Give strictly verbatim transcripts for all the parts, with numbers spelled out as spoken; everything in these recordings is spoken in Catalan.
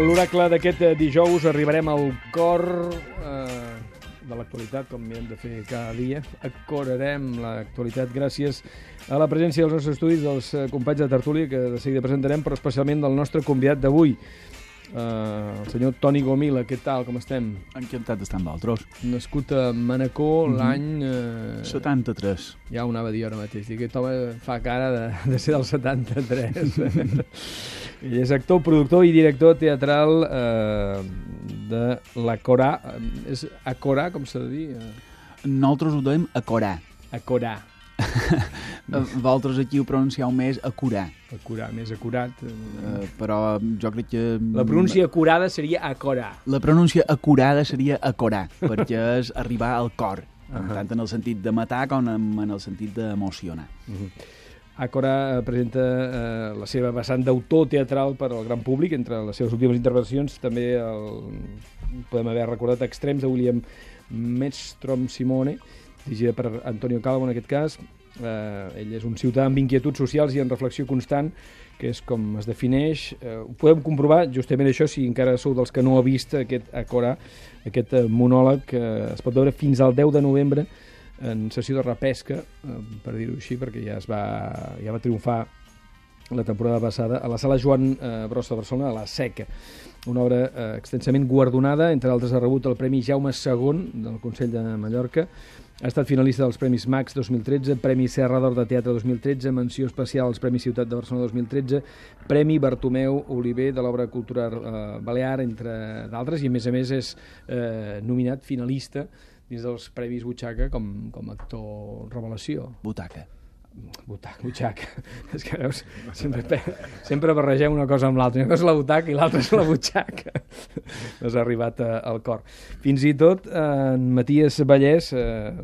l'oracle d'aquest dijous arribarem al cor eh, de l'actualitat, com hem de fer cada dia. Acorarem l'actualitat gràcies a la presència dels nostres estudis dels companys de tertúlia, que de seguida presentarem, però especialment del nostre convidat d'avui, Uh, el senyor Toni Gomila. Què tal, com estem? Encantat d'estar amb vosaltres. Nascut a Manacor mm -hmm. l'any... Uh, setanta-tres. Ja ho anava a dir ara mateix. Aquest home fa cara de, de ser del setanta-tres. I és actor, productor i director teatral uh, de l'Acorà. És Acorà, com s'ha de dir? Nosaltres ho dèiem Acorà. Acorà. Vosaltres aquí ho pronuncieu més Acorà. Acurar, més acurat. Uh, però jo crec que... La pronúncia acurada seria Acorà. La pronúncia acurada seria Acorà, perquè és arribar al cor, uh -huh. tant en el sentit de matar com en el sentit d'emocionar. Uh -huh. Acorà presenta eh, la seva vessant d'autor teatral per al gran públic. Entre les seves últimes intervencions també el, podem haver recordat Extrems, de William Mestrom Simone, dirigida per Antonio Calvo en aquest cas. Eh, ell és un ciutadà amb inquietuds socials i en reflexió constant, que és com es defineix. Eh, ho podem comprovar justament això si encara sou dels que no heu vist aquest Acorà, aquest eh, monòleg que eh, es pot veure fins al deu de novembre en sessió de repesca, eh, per dir-ho així, perquè ja es va, ja va triomfar la temporada passada a la sala Joan eh, Brossa de Barcelona, a la Seca. Una obra eh, extensament guardonada, entre altres ha rebut el Premi Jaume segon del Consell de Mallorca. Ha estat finalista dels Premis Max dos mil tretze, Premi Serra d'Or de Teatre dos mil tretze, menció especial als Premis Ciutat de Barcelona dos mil tretze, Premi Bartomeu Oliver de l'obra cultural eh, balear, entre d'altres, i a més a més és eh, nominat finalista dins dels Premis Butxaca com, com a actor revelació. Butaca. Butaca, butxaca. És que veus, sempre, sempre barregem una cosa amb l'altra. Una cosa és la butaca i l'altra és la butxaca. No s'ha arribat a, al cor. Fins i tot en Matías Vallès, eh,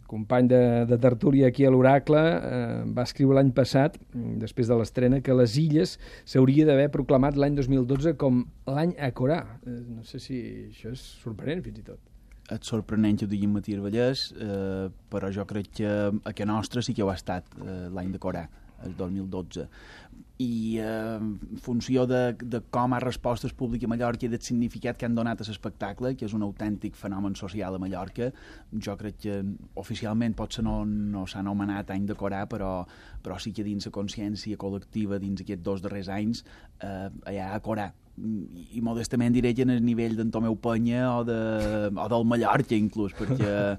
company de, de tertúlia aquí a l'Oracle, eh, va escriure l'any passat, després de l'estrena, que les Illes s'hauria d'haver proclamat l'any dos mil dotze com l'any Acorà. Eh, no sé si això és sorprenent, fins i tot. És sorprenent que ho digui Matías Vallès, eh, però jo crec que a que nostre sí que ho ha estat eh, l'any d'Acorà, el dos mil dotze. I eh, en funció de, de com ha respost el públic a Mallorca i del significat que han donat a l'espectacle, que és un autèntic fenomen social a Mallorca, jo crec que oficialment potser no, no s'ha anomenat any d'Acorà, però, però sí que dins la consciència col·lectiva, dins aquests dos darrers anys, eh, hi ha Acorà. I, i modestament diré que en el nivell d'en Tomeu Penya o, de, o del Mallorca inclús, perquè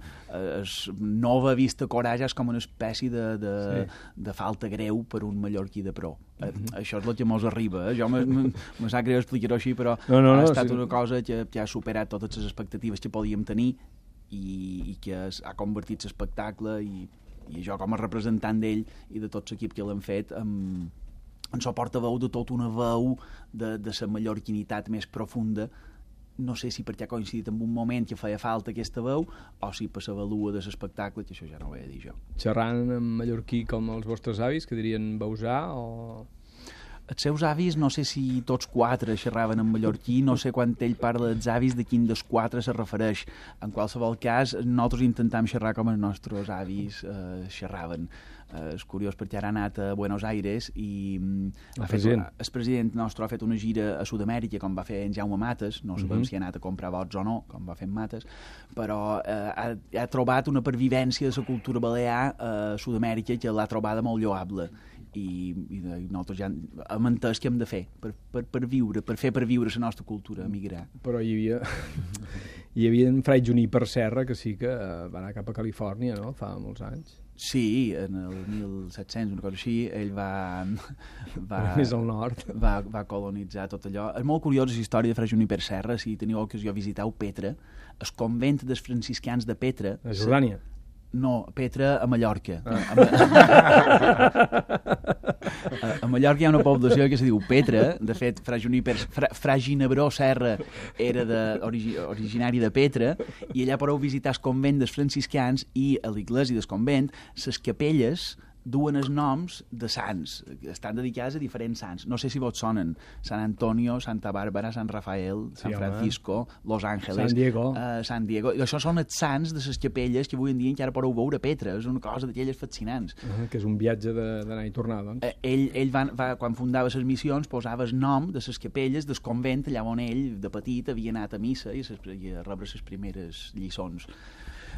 es nova vista Acorà ja és com una espècie de, de, sí. de falta greu per un mallorquí de pro. Mm-hmm. Això és el que mos arriba, eh? Jo me sap greu explicar-ho així, però no, no, no, ha estat sí. una cosa que, que ha superat totes les expectatives que podíem tenir i, i que es, ha convertit l'espectacle i, i jo com a representant d'ell i de tot l'equip que l'han fet amb en so portaveu de tota una veu de, de la mallorquinitat més profunda. No sé si perquè ha coincidit en un moment que feia falta aquesta veu o si per la valua de l'espectacle, que això ja no ho he de dir jo. Xerrant en mallorquí com els vostres avis, que dirien bausà o... Els seus avis, no sé si tots quatre xerraven en mallorquí, no sé quan ell parla dels avis de quin dels quatre se refereix. En qualsevol cas, nosaltres intentam xerrar com els nostres avis eh, xerraven. Eh, és curiós perquè ara ha anat a Buenos Aires i el ha president. Fet, el president nostre ha fet una gira a Sud-amèrica com va fer en Jaume Mates, no sabem uh -huh. si ha anat a comprar vots o no, com va fer en Mates, però eh, ha, ha trobat una pervivència de la cultura balear a Sud-amèrica que l'ha trobada molt lloable. I, i nosaltres ja hem entès què hem de fer per, per, per viure, per fer per viure la nostra cultura, emigrar. Però hi havia hi havia en Frai Juníper Serra, que sí que va anar cap a Califòrnia, no?, fa molts anys. Sí, en el mil set-cents, una cosa així, ell va... va més al nord. Va, va colonitzar tot allò. És molt curiosa la història de Frai Juníper Serra, si teniu ocasió visiteu Petra, el convent dels franciscans de Petra... A Jordània? No, Petra a Mallorca. Ah. A, a, a Mallorca hi ha una població que se diu Petra. De fet, Fra Juníper, Fra, Fra Ginebró Serra era de, origi, originari de Petra, i allà podeu visitar el convent dels franciscans i a l'església del convent les capelles duen els noms de sants, estan dedicats a diferents sants. No sé si vos sonen. Sant Antonio, Santa Bàrbara, Sant Rafael, Sant sí, Francisco, home. Los Ángeles, Sant Diego. Uh, Sant Diego. I això són els sants de les capelles que avui en dia encara podeu veure a Petra. És una cosa d'aquelles fascinants. Uh, que és un viatge d'anar i tornar, doncs. Uh, ell, ell va, va, quan fundava les missions, posava el nom de les capelles del convent allà on ell, de petit, havia anat a missa i, ses, i a rebre les primeres lliçons.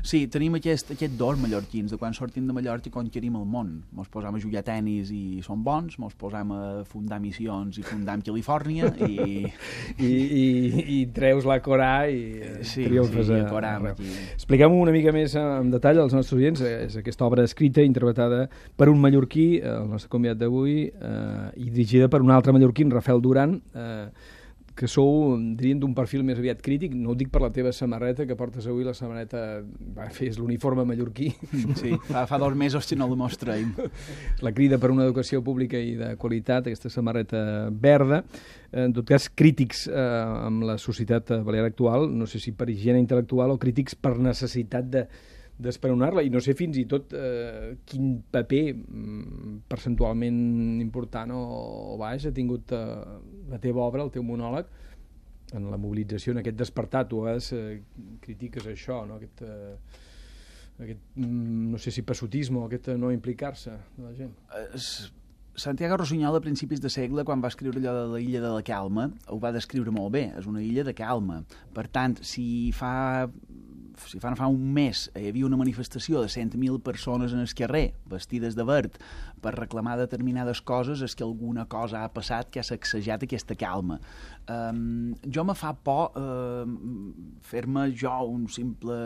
Sí, tenim aquest, aquest dos mallorquins, de quan sortim de Mallorca i conquerim el món. Mos posam a jugar a tenis i som bons, mos posam a fundar missions i fundam Califòrnia i... I, i, i treus la Corà i sí, triomfes sí, a... Corà, aquí. Expliquem-ho una mica més en detall als nostres oients. És aquesta obra escrita, interpretada per un mallorquí, el nostre convidat d'avui, eh, i dirigida per un altre mallorquí, Rafael Duran, eh, que sou, dirien, d'un perfil més aviat crític. No ho dic per la teva samarreta, que portes avui la samarreta... Va, és l'uniforme mallorquí. Sí, fa, fa dos mesos que no la mostrem. La crida per una educació pública i de qualitat, aquesta samarreta verda. En tot cas, crítics eh, amb la societat balear actual, no sé si per higiene intel·lectual o crítics per necessitat de d'esperonar-la, i no sé fins i tot eh, quin paper mm, percentualment important o, o baix ha tingut eh, la teva obra, el teu monòleg, en la mobilització, en aquest despertar. Tu a vegades eh, critiques això, no? Aquest, eh, aquest mm, no sé si passotisme o aquest no implicar-se de la gent. Es... Santiago Rossinyol, a principis de segle, quan va escriure allò de la illa de la Calma, ho va descriure molt bé. És una illa de calma. Per tant, si fa... si fa, fa un mes hi havia una manifestació de cent mil persones en el carrer, vestides de verd, per reclamar determinades coses, és que alguna cosa ha passat que ha sacsejat aquesta calma. Um, jo me fa por uh, fer-me jo un simple...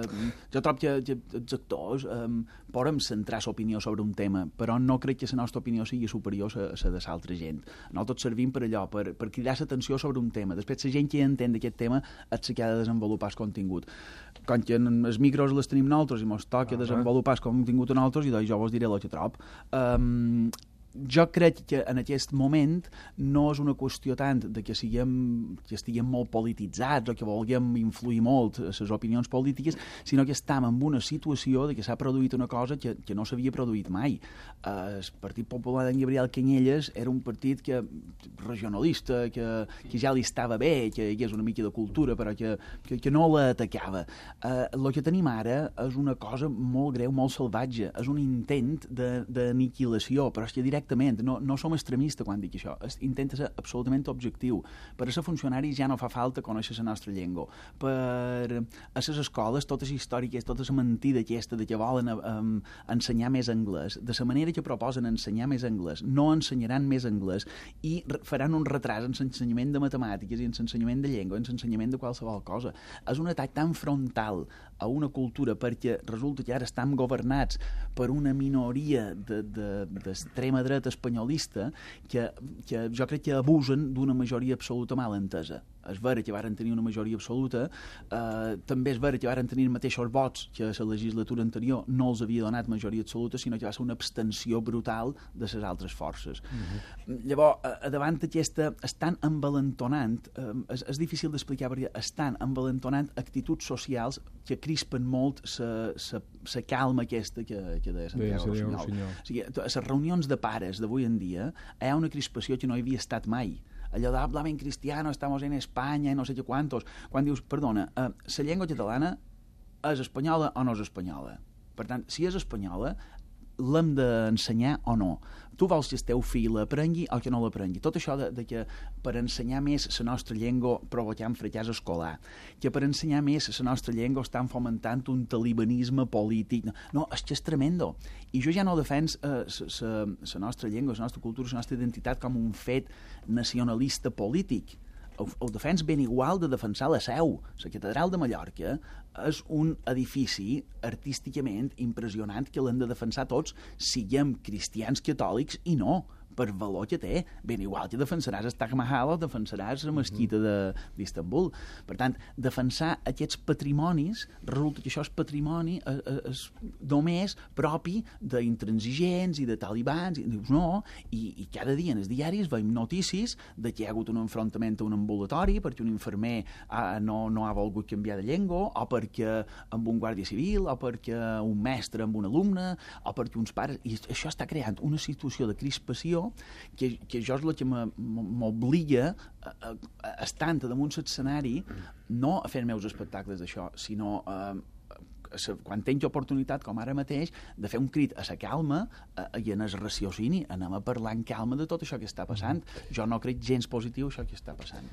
Jo trobo que, que els actors um, podem centrar l'opinió sobre un tema, però no crec que la nostra opinió sigui superior a la de l'altra gent. Nosaltres servim per allò, per, per cridar l'atenció sobre un tema. Després, la gent que entén d'aquest tema és la que ha de desenvolupar el contingut. Quan que els micros les tenim nosaltres i ens toca uh -huh. desenvolupar el contingut a nosaltres, i doncs jo vos diré el que trobo. Um, jo crec que en aquest moment no és una qüestió tant de que siguem, que estiguem molt polititzats o que vulguem influir molt a les opinions polítiques, sinó que estem en una situació de que s'ha produït una cosa que, que no s'havia produït mai. Uh, el Partit Popular d'en Gabriel Canyelles era un partit que, regionalista, que, que ja li estava bé, que hi hagués una mica de cultura, però que, que, que no l'atacava. Uh, el que tenim ara és una cosa molt greu, molt salvatge. És un intent d'aniquilació, però és que directament no, no som extremistes quan dic això. Intenta ser absolutament objectiu. Per a ser funcionaris ja no fa falta conèixer la nostra llengua. Per a les escoles, totes les històriques, tota la mentida aquesta de que volen um, ensenyar més anglès, de la manera que proposen ensenyar més anglès, no ensenyaran més anglès i faran un retras en l'ensenyament de matemàtiques i en l'ensenyament de llengua, en l'ensenyament de qualsevol cosa. És un atac tan frontal a una cultura perquè resulta que ara estan governats per una minoria d'extrema de, de, dreta espanyolista que, que jo crec que abusen d'una majoria absoluta mal entesa. És vera que varen tenir una majoria absoluta, eh, també és vera que varen tenir els mateixos vots que a la legislatura anterior no els havia donat majoria absoluta, sinó que va ser una abstenció brutal de les altres forces. Uh-huh. Llavors, a, davant d'aquesta, estan envalentonant, eh, és, és difícil d'explicar perquè estan envalentonant actituds socials que crispen molt la calma aquesta que, que deia Santiago Rossinyol. O sigui, a les reunions de pares d'avui en dia hi ha una crispació que no hi havia estat mai. Allò d'hablar en cristiano, estamos en Espanya, no sé què quantos. Quan dius, perdona, eh, la llengua catalana és espanyola o no és espanyola? Per tant, si és espanyola, l'hem d'ensenyar o no? Tu vols que el teu fill l'aprengui o que no l'aprengui? Tot això de, de que per ensenyar més la nostra llengua provoquem fracàs escolar, que per ensenyar més la nostra llengua estan fomentant un talibanisme polític. No, és que és tremendo. I jo ja no defens la eh, nostra llengua, la nostra cultura, la nostra identitat com un fet nacionalista polític. Ho, ho defens ben igual de defensar la Seu. La Catedral de Mallorca és un edifici artísticament impressionant que l'hem de defensar tots, siguem cristians catòlics i no, per valor que té. Ben igual que defensaràs el Taj Mahal o defensaràs la mesquita d'Istanbul. Per tant, defensar aquests patrimonis, resulta que això és patrimoni és, és només propi d'intransigents i de talibans, i dius no, i, i cada dia en els diaris veiem notícies de que hi ha hagut un enfrontament a un ambulatori perquè un infermer ah, no, no ha volgut canviar de llengua, o perquè amb un guàrdia civil, o perquè un mestre amb un alumne, o perquè uns pares... I això està creant una situació de crispació que, que jo és el que m'obliga a, a, a estar damunt l'escenari, no a fer meus espectacles d'això, sinó a, a, quan tinc oportunitat, com ara mateix, de fer un crit a la calma a, i en el raciocini, anem a parlar en calma de tot això que està passant. Jo no crec gens positiu això que està passant.